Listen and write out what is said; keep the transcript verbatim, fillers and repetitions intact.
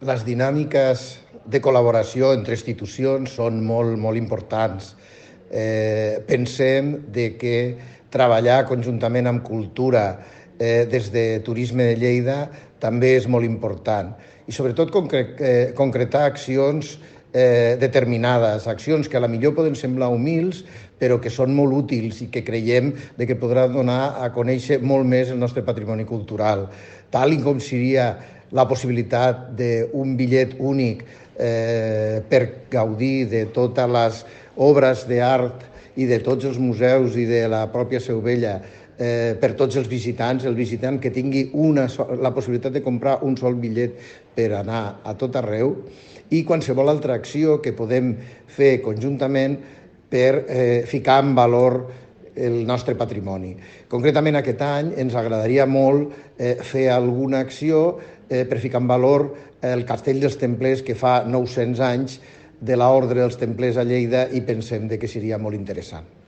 Les dinàmiques de col·laboració entre institucions són molt, molt importants. Eh, pensem de que treballar conjuntament amb cultura eh, des de Turisme de Lleida també és molt important. I sobretot concre eh, concretar accions eh, determinades, accions que a la millor poden semblar humils, però que són molt útils i que creiem de que podran donar a conèixer molt més el nostre patrimoni cultural, tal com seria la possibilitat d'un bitllet únic eh, per gaudir de totes les obres d'art i de tots els museus i de la pròpia Seu Vella eh, per tots els visitants, el visitant que tingui una, la possibilitat de comprar un sol bitllet per anar a tot arreu, i qualsevol altra acció que podem fer conjuntament per eh, ficar en valor el nostre patrimoni. Concretament aquest any ens agradaria molt eh, fer alguna acció eh, per ficar en valor el Castell dels Templers, que fa nou-cents anys de l'Ordre dels Templers a Lleida, i pensem que seria molt interessant.